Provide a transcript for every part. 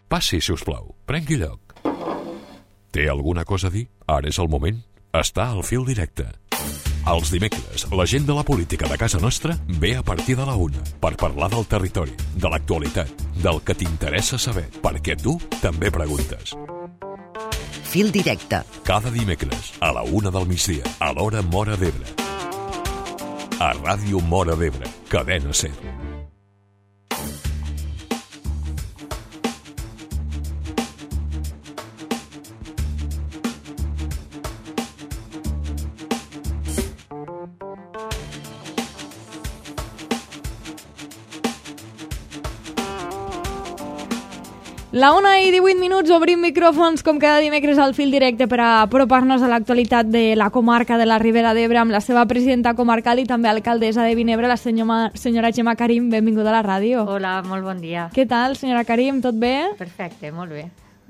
Passi, si us plau. Prengui lloc. Té alguna cosa a dir? Ara és el moment. Està al fil directe. Els dimecres, la gent de la política de casa nostra ve a partir de la 1 per parlar del territori, de l'actualitat, del que t'interessa saber, perquè tu també preguntes. Fil directe. Cada dimecres, a la 1 del migdia, a l'hora Móra d'Ebre. A Ràdio Móra d'Ebre, Cadena SER. La 1:18, obrim micròfons com cada dimecres al fil directe per a apropar-nos a l'actualitat de la comarca de la Ribera d'Ebre amb la seva presidenta comarcal i també alcaldessa de Vinebre, la senyora Gemma Karim. Benvinguda a la ràdio. Hola, molt bon dia. Què tal, senyora Karim? Tot bé? Perfecte, molt bé.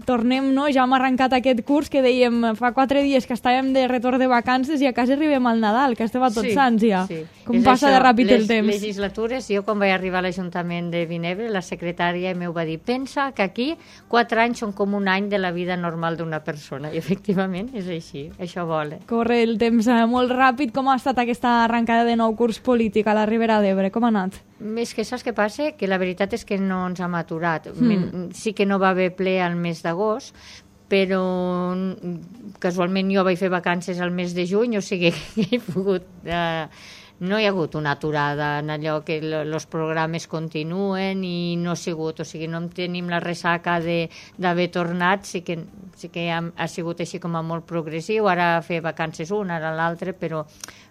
Tornem, no? Ja hem arrencat aquest curs que dèiem fa 4 dies que estàvem de retorn de vacances i a quasi arribem al Nadal, que estem a tots sants ja. Sí. Com és passa això, de ràpid el temps. Les legislatures, jo quan vaig arribar a l'Ajuntament de Vinebre, la secretària m'ho va dir, pensa que aquí 4 anys són com un any de la vida normal d'una persona. I efectivament és així, això vola. Corre el temps molt ràpid. Com ha estat aquesta arrencada de nou curs polític a la Ribera d'Ebre? Com ha anat? És que saps què passa? Que la veritat és que no ens hem aturat. Sí que no va haver ple al mes d'agost, però casualment jo vaig fer vacances al mes de juny, o sigui que he pogut... no hi ha hagut una aturada en allò que els programes continuen i no ha sigut, o sigui, no tenim la ressaca d'haver tornat, sí que ha sigut així com a molt progressiu, ara fer vacances una, ara l'altra, però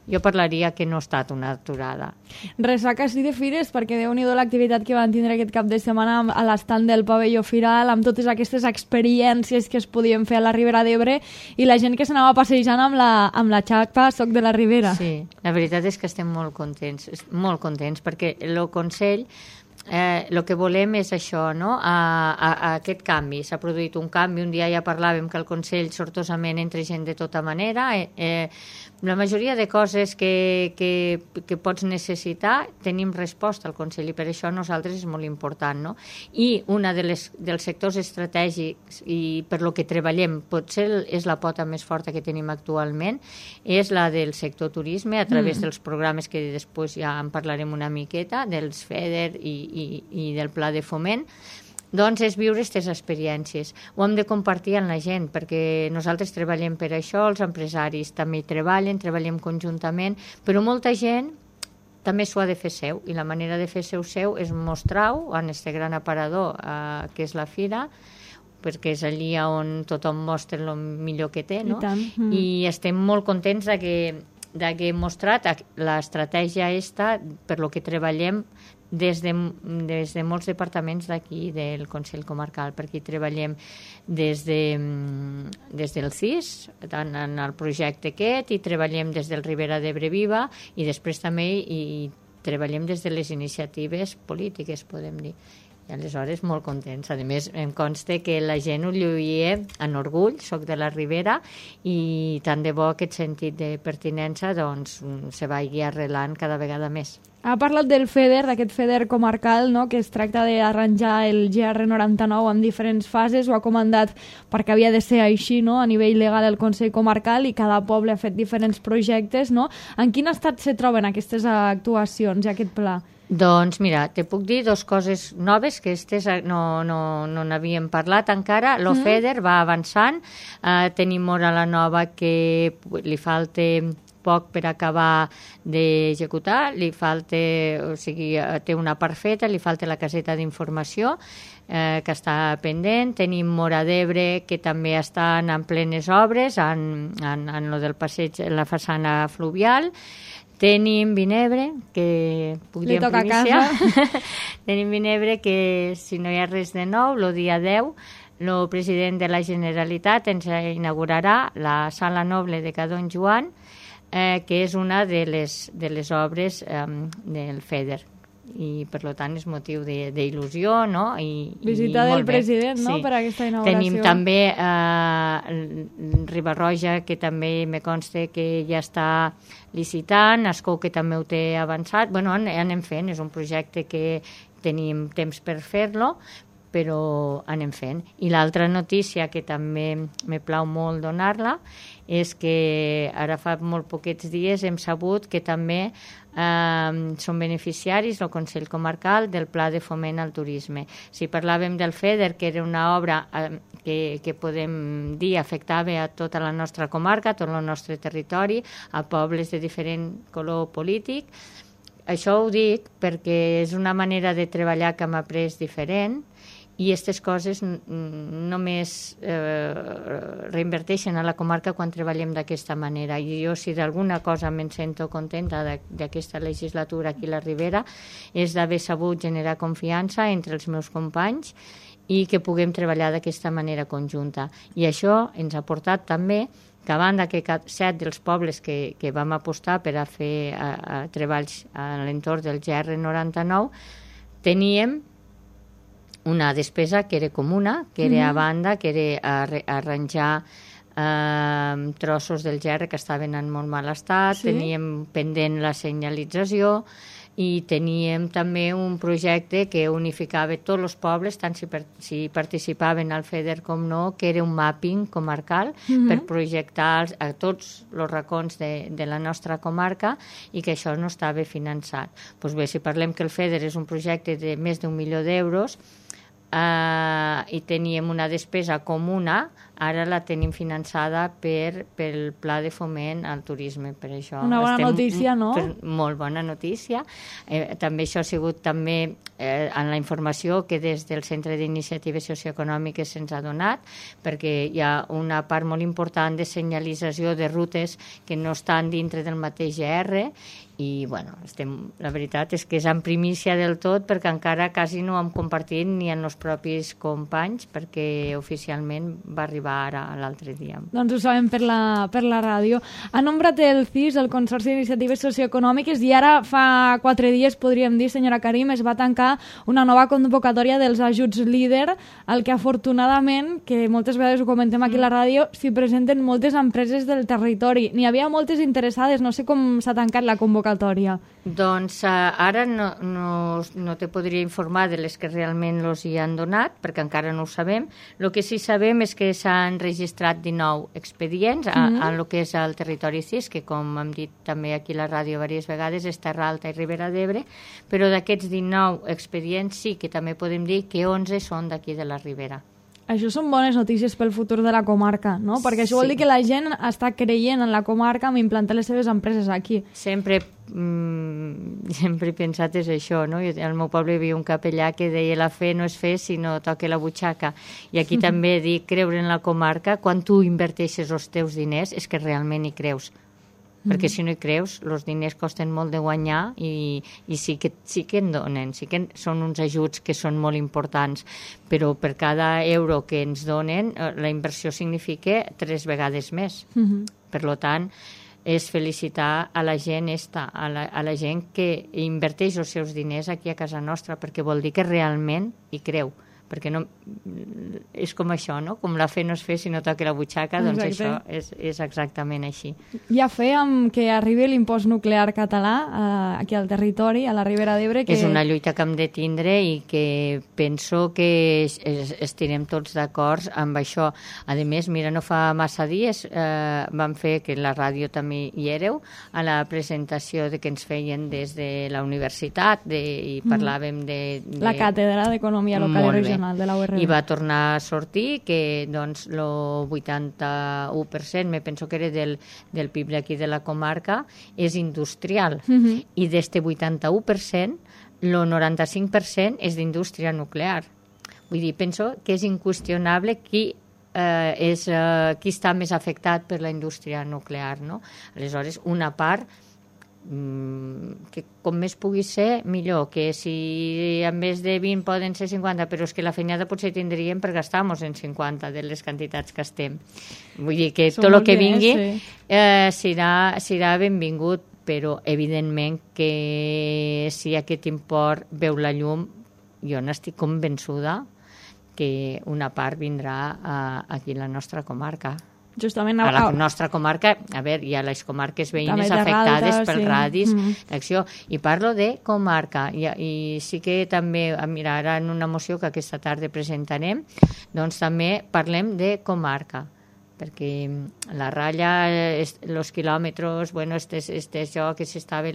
jo parlaria que no ha estat una aturada. Ressaca sí de fires, perquè Déu-n'hi-do l'activitat que van tindre aquest cap de setmana a l'estand del pavelló Firal, amb totes aquestes experiències que es podien fer a la Ribera d'Ebre i la gent que s'anava passejant amb la xapa Soc de la Ribera. Sí, la veritat és que estem molt contents, perquè el Consell el que volem és això, no? A aquest canvi. S'ha produït un canvi, un dia ja parlàvem que el Consell sortosament entra gent de tota manera, la majoria de coses que pots necessitar tenim resposta al Consell i per això nosaltres és molt important, no? I una dels sectors estratègics i per lo que treballem, potser és la pota més forta que tenim actualment, és la del sector turisme a través dels programes que després ja en parlarem una miqueta, dels FEDER i del Pla de Foment. Doncs és viure aquestes experiències. Ho hem de compartir amb la gent, perquè nosaltres treballem per això, els empresaris també hi treballem conjuntament, però molta gent també s'ho ha de fer seu, i la manera de fer seu és mostrar-ho en aquest gran aparador que és la fira, perquè és allí on tothom mostra el millor que té, no? I estem molt contents que hem mostrat l'estratègia per lo que treballem des de molts departaments d'aquí del Consell Comarcal, perquè hi treballem des del CIS, en el projecte aquest, i treballem des del Ribera d'Ebre Viva, i després també hi treballem des de les iniciatives polítiques, podem dir. I aleshores molt contents. A més, em consta que la gent ho lluïa en orgull, soc de la Ribera, i tant de bo aquest sentit de pertinença doncs, se vagi arrelant cada vegada més. Ha parlat del FEDER, d'aquest FEDER comarcal, no?, que es tracta d'arranjar el GR99 en diferents fases, ho ha comandat perquè havia de ser així, no?, a nivell legal el Consell Comarcal, i cada poble ha fet diferents projectes, no? En quin estat se troben aquestes actuacions i aquest pla? Doncs mira, te puc dir 2 coses noves que no n'havíem parlat encara. FEDER va avançant, tenim Móra la Nova que li falta poc per acabar d'executar, o sigui, té una part feta, li falta la caseta d'informació que està pendent. Tenim Móra d'Ebre que també estan en plenes obres en lo del passeig, en la façana fluvial. Tenim Vinebre, que puc dir en primícia. Tenim Vinebre que, si no hi ha res de nou, el dia 10, el president de la Generalitat ens inaugurarà la Sala Noble de Ca Don Joan, que és una de les obres del FEDER. I per tant és motiu d'il·lusió, no? Visita del president, no?, per aquesta inauguració. Tenim també Riba-roja, que també me consta que ja està licitant, Ascó, que també ho té avançat. Bueno, anem fent, és un projecte que tenim temps per fer-lo, però anem fent. I l'altra notícia que també me plau molt donar-la és que ara fa molt poquets dies hem sabut que també són beneficiaris el Consell Comarcal del Pla de Foment al Turisme. Si parlàvem del FEDER, que era una obra que podem dir afectava a tota la nostra comarca, a tot el nostre territori, a pobles de diferent color polític, això ho dic perquè és una manera de treballar que hem après diferent i aquestes coses només reinverteixen a la comarca quan treballem d'aquesta manera. I jo, si d'alguna cosa me'n sento contenta d'aquesta legislatura aquí a la Ribera, és d'haver sabut generar confiança entre els meus companys i que puguem treballar d'aquesta manera conjunta. I això ens ha portat també que a banda que 7 dels pobles que vam apostar per a fer treballs a l'entorn del GR99 teníem una despesa que era comuna, que era a banda, que era arranjar trossos del GR que estaven en molt mal estat, teníem pendent la senyalització i teníem també un projecte que unificava tots els pobles, tant si participaven al FEDER com no, que era un mapping comarcal per projectar a tots els racons de la nostra comarca i que això no estava finançat. Doncs bé, si parlem que el FEDER és un projecte de més d'1 milió d'euros, i teníem una despesa comuna, ara la tenim finançada pel Pla de Foment al Turisme. Per això una bona notícia, no? Molt bona notícia. També això ha sigut també en la informació que des del Centre d'Iniciatives Socioeconòmiques se'ns ha donat, perquè hi ha una part molt important de senyalització de rutes que no estan dintre del mateix GR i, bueno, la veritat és que és en primícia del tot perquè encara quasi no ho hem compartit ni en els propis companys perquè oficialment va arribar ara l'altre dia. Doncs ho sabem per la ràdio. Ha nombrat el CIS, el Consorci d'Iniciatives Socioeconòmiques, i ara fa 4 dies, podríem dir, senyora Karim, es va tancar una nova convocatòria dels ajuts líder, al que afortunadament, que moltes vegades ho comentem aquí a la ràdio, s'hi presenten moltes empreses del territori. N'hi havia moltes interessades, no sé com s'ha tancat la convocatòria. Doncs ara no te podria informar de les que realment els hi han donat, perquè encara no ho sabem. El que sí sabem és que s'han registrat 19 expedients a lo que és el territori CIS, que com hem dit també aquí a la ràdio diverses vegades és Terra Alta i Ribera d'Ebre, però d'aquests 19 expedients sí que també podem dir que 11 són d'aquí de la Ribera. Això són bones notícies pel futur de la comarca, no? Perquè això vol dir que la gent està creient en la comarca amb implantar les seves empreses aquí. Sempre he pensat és això, no? Al meu poble hi havia un capellà que deia la fe no és fe sinó toca la butxaca. I aquí també dic creure en la comarca, quan tu inverteixes els teus diners és que realment hi creus. Perquè si no hi creus, els diners costen molt de guanyar i sí que en donen, sí que són uns ajuts que són molt importants, però per cada euro que ens donen, la inversió significa 3 vegades més. Per tant, és felicitar a la gent a la gent que inverteix els seus diners aquí a casa nostra, perquè vol dir que realment hi creu. Perquè no, és com això, no? Com la fe no es fe si no toca la butxaca, doncs això és exactament així. Hi ha fe amb que arribi l'impost nuclear català aquí al territori, a la Ribera d'Ebre. És una lluita que hem de tindre i que penso que estirem tots d'acord amb això. A més, mira, no fa massa dies vam fer, que la ràdio també hi éreu, a la presentació que ens feien des de la universitat i parlàvem de... La càtedra d'Economia Local i Regional de la URB. I va tornar a sortir que doncs, el 81%, me penso que era del PIB d'aquí de la comarca, és industrial. I d'este 81%, el 95% és d'indústria nuclear. Vull dir, penso que és inqüestionable qui està més afectat per la indústria nuclear, no? Aleshores, una part que com més pugui ser, millor, que si en vez de 20 poden ser 50, però és que la feinada potser tindríem per gastar-nos en 50 de les quantitats que estem. Vull dir que tot el que vingui serà benvingut, però evidentment que si aquest import veu la llum, jo n'estic convençuda que una part vindrà aquí a la nostra comarca. Justament a la nostra comarca, a veure, hi ha les comarques veïnes afectades pel radis d'acció, i parlo de comarca, i sí que també, mira, ara en una moció que aquesta tarda presentarem, doncs també parlem de comarca, perquè la ratlla, els quilòmetres, bueno, això que s'estava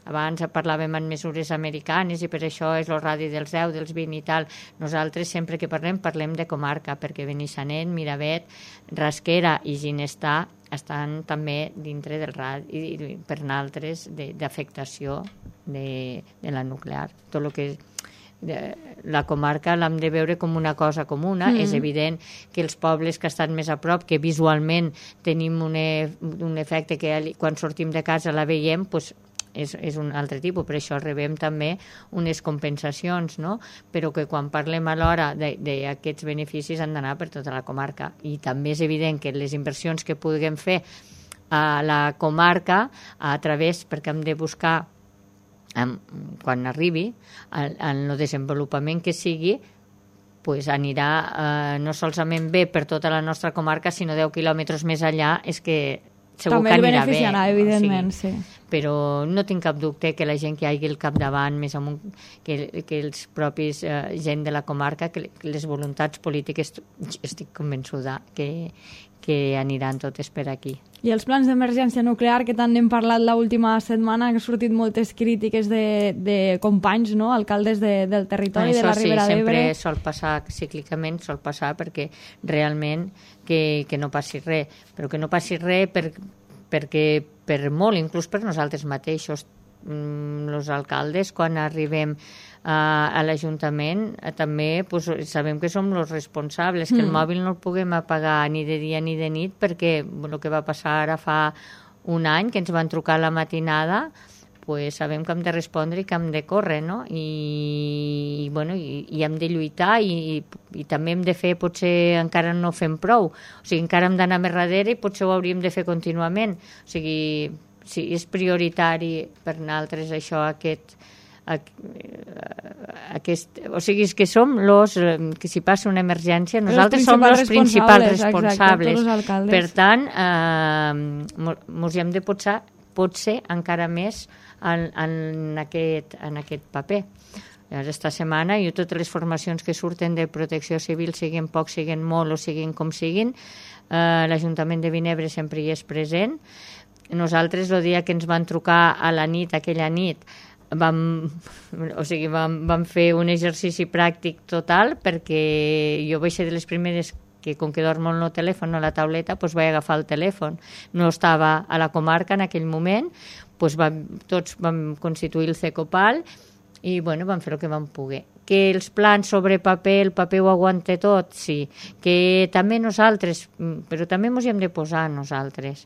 abans parlàvem en mesures americanes i per això és el radi dels 10, dels 20 i tal. Nosaltres sempre que parlem de comarca, perquè Benissanet, Miravet, Rasquera i Ginestar estan també dintre del radi i per naltres d'afectació de la nuclear. Tot el que la comarca l'hem de veure com una cosa comuna. És evident que els pobles que estan més a prop, que visualment tenim un efecte que quan sortim de casa la veiem, doncs és un altre tipus, per això rebem també unes compensacions, no? Però que quan parlem alhora d'aquests beneficis han d'anar per tota la comarca, i també és evident que les inversions que puguem fer a la comarca a través, perquè hem de buscar quan arribi en el desenvolupament que sigui, pues anirà no solament bé per tota la nostra comarca, sinó 10 quilòmetres més allà, és que segur també que anirà bé. També el beneficiarà, evidentment, sí. Però no tinc cap dubte que la gent que hi hagi al capdavant, més amunt, que els propis gent de la comarca, que les voluntats polítiques, estic convençuda que aniran totes per aquí. I els plans d'emergència nuclear, que tant n'hem parlat l'última setmana, han sortit moltes crítiques de companys, no?, alcaldes del territori de la Ribera d'Ebre. Sempre sol passar, cíclicament sol passar, perquè realment que no passi res, però que no passi res perquè per molt, inclús per nosaltres mateixos, els alcaldes, quan arribem a l'Ajuntament, també sabem que som els responsables, que el mòbil no el puguem apagar ni de dia ni de nit, perquè el que va passar ara fa un any, que ens van trucar a la matinada, pues sabem que hem de respondre i que hem de córrer, no? I hem de lluitar i també hem de fer, potser encara no fem prou, o sigui, encara hem d'anar més darrere i potser ho hauríem de fer contínuament. O sigui, si és prioritari per nosaltres això, o sigui, és que som que si passa una emergència nosaltres som els principals responsables. Exacte, per tant, ens hem de potser encara més en aquest paper. Esta setmana, i totes les formacions que surten de protecció civil, siguin poc, siguin molt o siguin com siguin, l'Ajuntament de Vinebre sempre hi és present. Nosaltres, el dia que ens van trucar a la nit, aquella nit, vam fer un exercici pràctic total, perquè jo vaig ser de les primeres que, com que dormo en el telèfon o la tauleta, doncs vaig agafar el telèfon. No estava a la comarca en aquell moment, doncs tots vam constituir el CECOPAL i vam fer el que vam poder. Que els plans sobre paper, el paper ho aguanta tot, sí. Que també nosaltres, però també ens hi hem de posar nosaltres.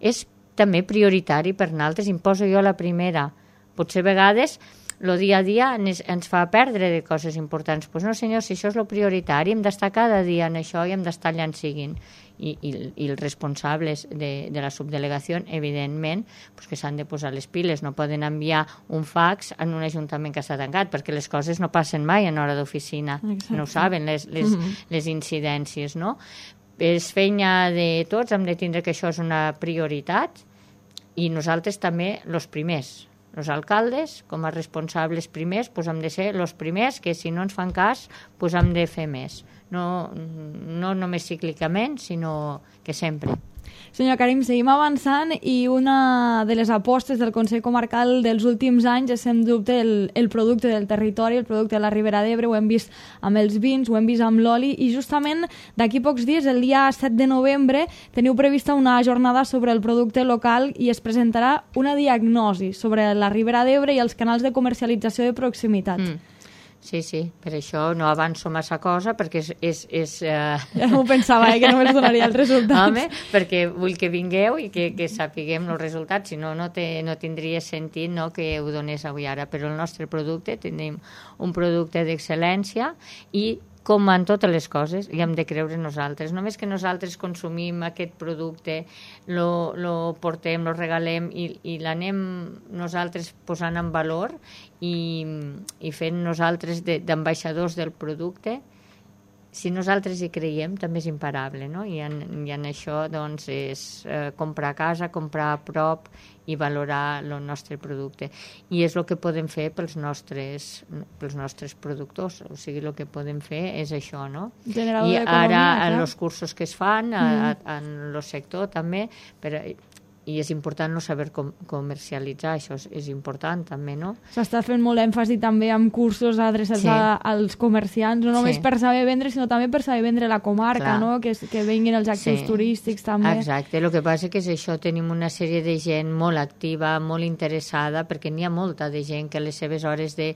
És també prioritari per nosaltres, em poso jo la primera. Potser a vegades el dia a dia ens fa perdre de coses importants. Doncs no, senyor, si això és el prioritari, hem d'estar cada dia en això i hem d'estar allà en siguin. I els responsables de la subdelegació, evidentment, que s'han de posar les piles. No poden enviar un fax en un ajuntament que està tancat, perquè les coses no passen mai en hora d'oficina. No ho saben, les incidències, no? És feina de tots, hem de tindre que això és una prioritat, i nosaltres també els primers. Els alcaldes, com a responsables primers, hem de ser els primers que, si no ens fan cas, hem de fer més. No només cíclicament, sinó que sempre. Senyor Karim, seguim avançant, i una de les apostes del Consell Comarcal dels últims anys és, sens dubte, el producte del territori, el producte de la Ribera d'Ebre. Ho hem vist amb els vins, ho hem vist amb l'oli, i justament d'aquí pocs dies, el dia 7 de novembre, teniu prevista una jornada sobre el producte local i es presentarà una diagnosi sobre la Ribera d'Ebre i els canals de comercialització de proximitat. Sí, per això no avanço massa cosa, perquè és Ja m'ho pensava, que només donaria els resultats. Home, perquè vull que vingueu i que sapiguem els resultats, si no, no tindria sentit, no, que ho donés avui ara. Però el nostre producte, tenim un producte d'excel·lència, i com en totes les coses, hi hem de creure nosaltres. Només que nosaltres consumim aquest producte, lo portem, lo regalem i l'anem nosaltres posant en valor i fent nosaltres d'ambaixadors del producte, si nosaltres hi creiem, també és imparable, no? I en això, doncs, és comprar a casa, comprar a prop i valorar el nostre producte. I és el que podem fer pels nostres productors. O sigui, el que podem fer és això, no? I ara, en els cursos que es fan, en el sector també, i és important no saber com comercialitzar, això és important també, no? S'està fent molt èmfasi també amb cursos adreçats als comerciants, no només per saber vendre, sinó també per saber vendre la comarca, no? Que venguin els actius turístics també. Exacte, el que passa que és això, tenim una sèrie de gent molt activa, molt interessada, perquè n'hi ha molta de gent que a les seves hores de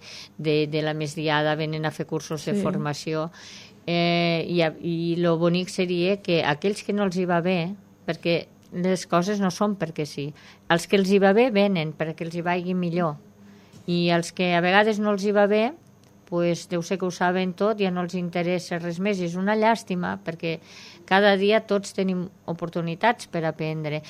la migdiada venen a fer cursos de formació, i el bonic seria que aquells que no els hi va bé, perquè les coses no són perquè sí. Els que els hi va bé venen perquè els hi vagi millor. I els que a vegades no els hi va bé, pues, deu ser que ho saben tot, ja no els interessa res més. I és una llàstima perquè cada dia tots tenim oportunitats per aprendre.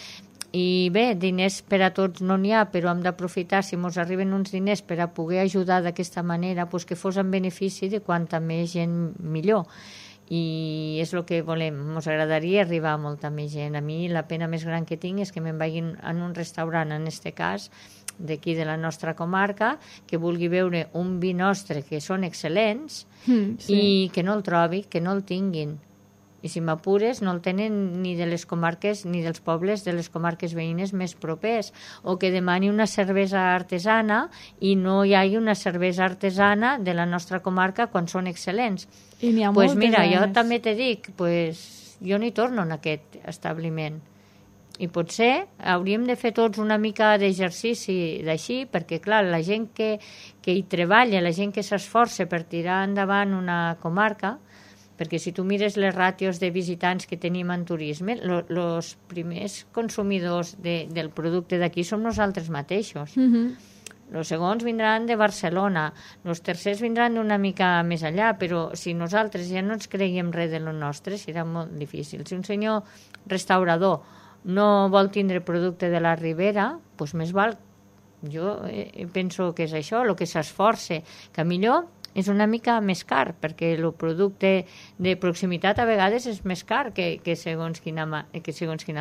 I bé, diners per a tots no n'hi ha, però hem d'aprofitar, si ens arriben uns diners per a poder ajudar d'aquesta manera, pues, que fos en benefici de quanta més gent millor. I és el que volem. Ens agradaria arribar a molta més gent. A mi la pena més gran que tinc és que me'n vagin en un restaurant, en aquest cas, d'aquí de la nostra comarca, que vulgui veure un vi nostre que són excel·lents i que no el trobi, que no el tinguin. I si m'apures, no el tenen ni de les comarques ni dels pobles de les comarques veïnes més propers, o que demani una cervesa artesana i no hi hagi una cervesa artesana de la nostra comarca quan són excel·lents. I n'hi ha moltes. Mira, jo també te dic, jo n'hi torno en aquest establiment. I potser hauríem de fer tots una mica d'exercici d'així, perquè, clar, la gent que hi treballa, la gent que s'esforça per tirar endavant una comarca, perquè si tu mires les ràtios de visitants que tenim en turisme, els primers consumidors del producte d'aquí som nosaltres mateixos. Els segons vindran de Barcelona, els tercers vindran d'una mica més allà, però si nosaltres ja no ens creiem res de lo nostre, serà molt difícil. Si un senyor restaurador no vol tindre producte de la Ribera, doncs més val. Jo penso que és això, el que s'esforça, que millor és una mica més car, perquè el producte de proximitat a vegades és més car que segons quina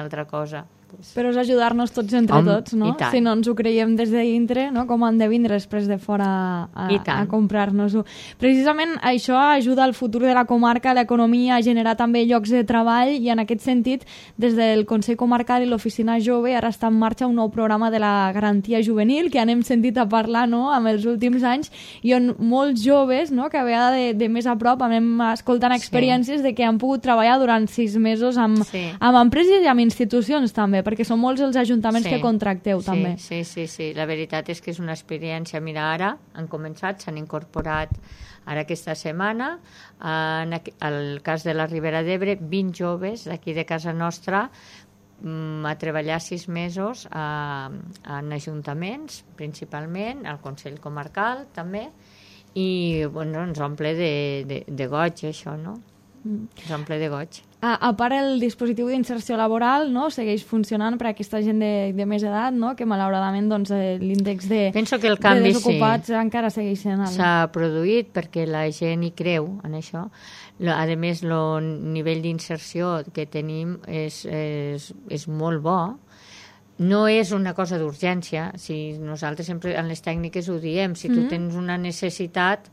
altra cosa. Però és ajudar-nos tots entre tots, no? Si no ens ho creiem des de dintre, no? Com han de vindre després de fora a comprar-nos-ho. Precisament això ajuda al futur de la comarca, l'economia, a generar també llocs de treball, i en aquest sentit, des del Consell Comarcal i l'Oficina Jove ara està en marxa un nou programa de la garantia juvenil, que anem sentit a parlar, no?, amb els últims anys, i on molts joves, no?, que a vegades de més a prop anem escoltant experiències de que han pogut treballar durant 6 mesos amb empreses i amb institucions també, perquè són molts els ajuntaments que contracteu també. Sí. La veritat és que és una experiència. Mira, ara han començat, s'han incorporat ara aquesta setmana, en el cas de la Ribera d'Ebre, 20 joves d'aquí de casa nostra a treballar 6 mesos en ajuntaments, principalment, al Consell Comarcal també, i ens omple de goig això, no? Ens omple de goig. A part, el dispositiu d'inserció laboral, no?, segueix funcionant per a aquesta gent de més edat, no?, que malauradament l'índex de desocupats encara segueix sent alt. S'ha produït perquè la gent hi creu en això. A més, el nivell d'inserció que tenim és molt bo. No és una cosa d'urgència. Si nosaltres sempre en les tècniques ho diem, si tu tens una necessitat,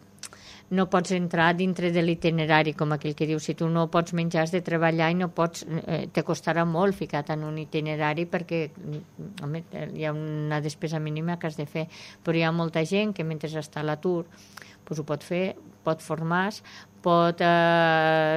no pots entrar dintre de l'itinerari, com aquell que diu, si tu no pots menjar has de treballar i no pots, te costarà molt ficat en un itinerari perquè hi ha una despesa mínima que has de fer, però hi ha molta gent que mentre està a l'atur ho pot fer, pot formar-se,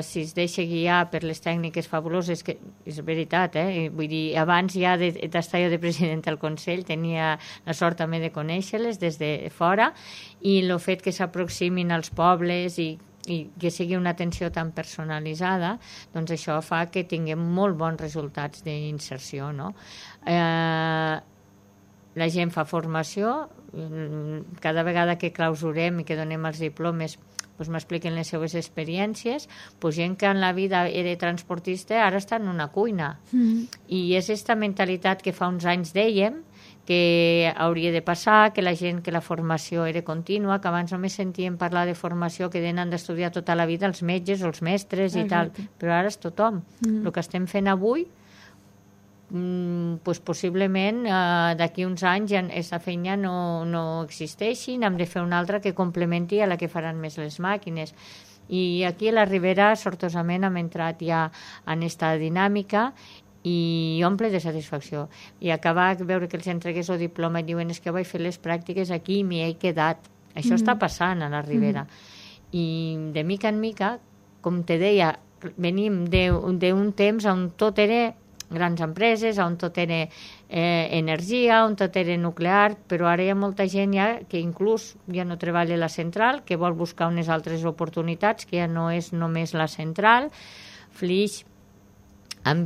si es deixa guiar per les tècniques fabuloses, que és veritat, vull dir, abans ja d'estar jo de president del Consell tenia la sort també de conèixer-les des de fora, i el fet que s'aproximin als pobles i que sigui una atenció tan personalitzada, doncs això fa que tinguem molt bons resultats d'inserció, no? La gent fa formació, cada vegada que clausurem i que donem els diplomes m'expliquen les seves experiències, gent que en la vida era transportista ara està en una cuina. I és aquesta mentalitat que fa uns anys dèiem que hauria de passar, que la gent, que la formació era contínua, que abans només sentíem parlar de formació que han d'estudiar tota la vida els metges o els mestres i tal, però ara és tothom. El que estem fent avui, pues possiblement d'aquí uns anys aquesta feina no existeixi, hem de fer una altra que complementi a la que faran més les màquines. I aquí a la Ribera, sortosament, hem entrat ja en aquesta dinàmica i omple de satisfacció. I acabar de veure que els entregués el diploma i diuen que vaig fer les pràctiques aquí i m'hi he quedat. Això està passant a la Ribera. I de mica en mica, com te deia, venim d'un temps on tot era grans empreses, on tot era energia, on tot era nuclear, però ara hi ha molta gent ja que inclús ja no treballa a la central, que vol buscar unes altres oportunitats, que ja no és només la central. Flix, ja han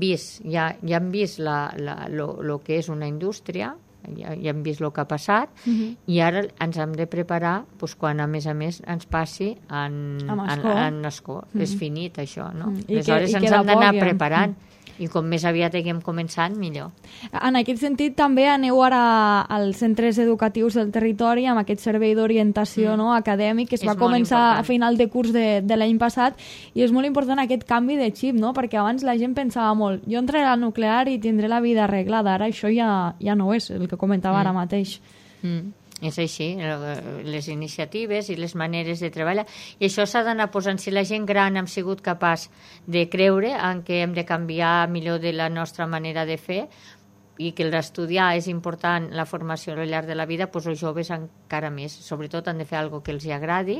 vist el que és una indústria, ja hem vist el que ha passat, i ara ens hem de preparar quan, a més, ens passi en escó. És finit, això, no? Aleshores ens hem d'anar preparant. I com més aviat haguem començat, millor. En aquest sentit, també aneu ara als centres educatius del territori amb aquest servei d'orientació acadèmic que es va començar a final de curs de l'any passat, i és molt important aquest canvi de xip, no? Perquè abans la gent pensava molt, jo entraré al nuclear i tindré la vida arreglada, ara això ja no és el que comentava ara mateix. És així, les iniciatives i les maneres de treballar. I això s'ha d'anar posant. Si la gent gran hem sigut capaç de creure en que hem de canviar millor de la nostra manera de fer i que l'estudiar és important, la formació al llarg de la vida, doncs els joves encara més. Sobretot han de fer alguna cosa que els agradi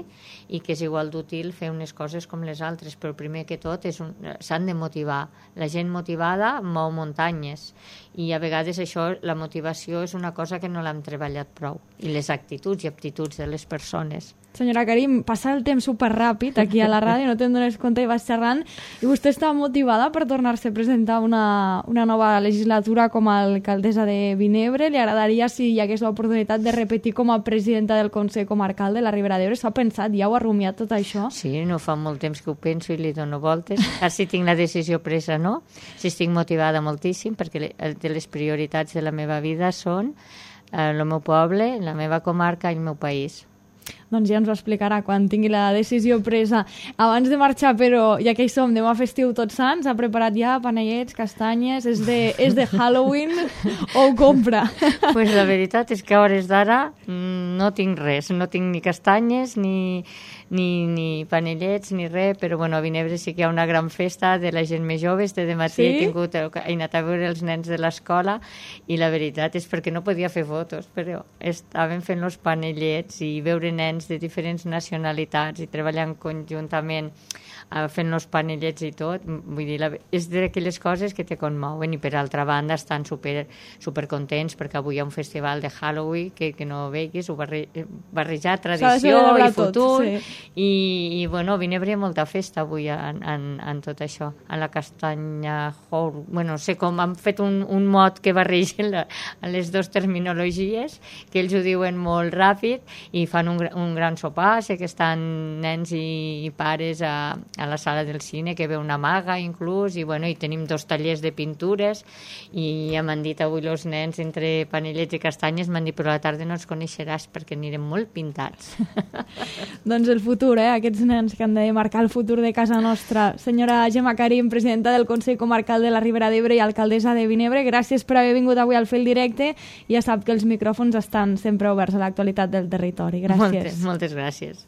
i que és igual d'útil fer unes coses com les altres, però primer que tot s'han de motivar. La gent motivada mou muntanyes i a vegades això, la motivació és una cosa que no l'hem treballat prou, i les actituds i aptituds de les persones. Senyora Karim, passa el temps superràpid aquí a la ràdio, no te'n dones compte i vas xerrant, i vostè està motivada per tornar-se a presentar una nova legislatura com a alcaldessa de Vinebre. Li agradaria, si hi hagués l'oportunitat, de repetir com a presidenta del Consell Comarcal de la Ribera d'Ebre? S'ha pensat, ja ho ha rumiat tot això? Sí, no fa molt temps que ho penso i li dono voltes. Ara sí tinc la decisió presa, no? Sí, estic motivada moltíssim, perquè les prioritats de la meva vida són el meu poble, la meva comarca i el meu país. Doncs ja ens ho explicarà quan tingui la decisió presa. Abans de marxar, però, ja que hi som, demà festiu Tots Sants, ha preparat ja panellets, castanyes, és de Halloween o ho compra? Pues la veritat és que a hores d'ara no tinc res, no tinc ni castanyes, ni panellets, ni res, però bueno, a Vinebre sí que hi ha una gran festa de la gent més jove. De matí he anat a veure els nens de l'escola i la veritat és perquè no podia fer fotos, però estàvem fent els panellets i veure nens de diferents nacionalitats i treballant conjuntament fent els panellets i tot, vull dir, és d'aquelles coses que te conmouen, i per altra banda estan super contents perquè avui hi ha un festival de Halloween que no veiguis, barrejar tradició i futur, i bueno, Vinebre hi ha molta festa avui en tot això, en la castanya bueno, no sé com, han fet un mot que barregen les dues terminologies, que ells ho diuen molt ràpid i fan un gran sopar. Sé que estan nens i pares a la sala del cine, que ve una maga inclús, i bueno, i tenim 2 tallers de pintures, i ja m'han dit avui els nens, entre panellets i castanyes, m'han dit, però a la tarda no els coneixeràs perquè anirem molt pintats. Doncs el futur, aquests nens que han de marcar el futur de casa nostra. Senyora Gemma Karim, presidenta del Consell Comarcal de la Ribera d'Ebre i alcaldessa de Vinebre, gràcies per haver vingut avui al Fil Directe, i ja sap que els micròfons estan sempre oberts a l'actualitat del territori. Gràcies. Moltes gràcies.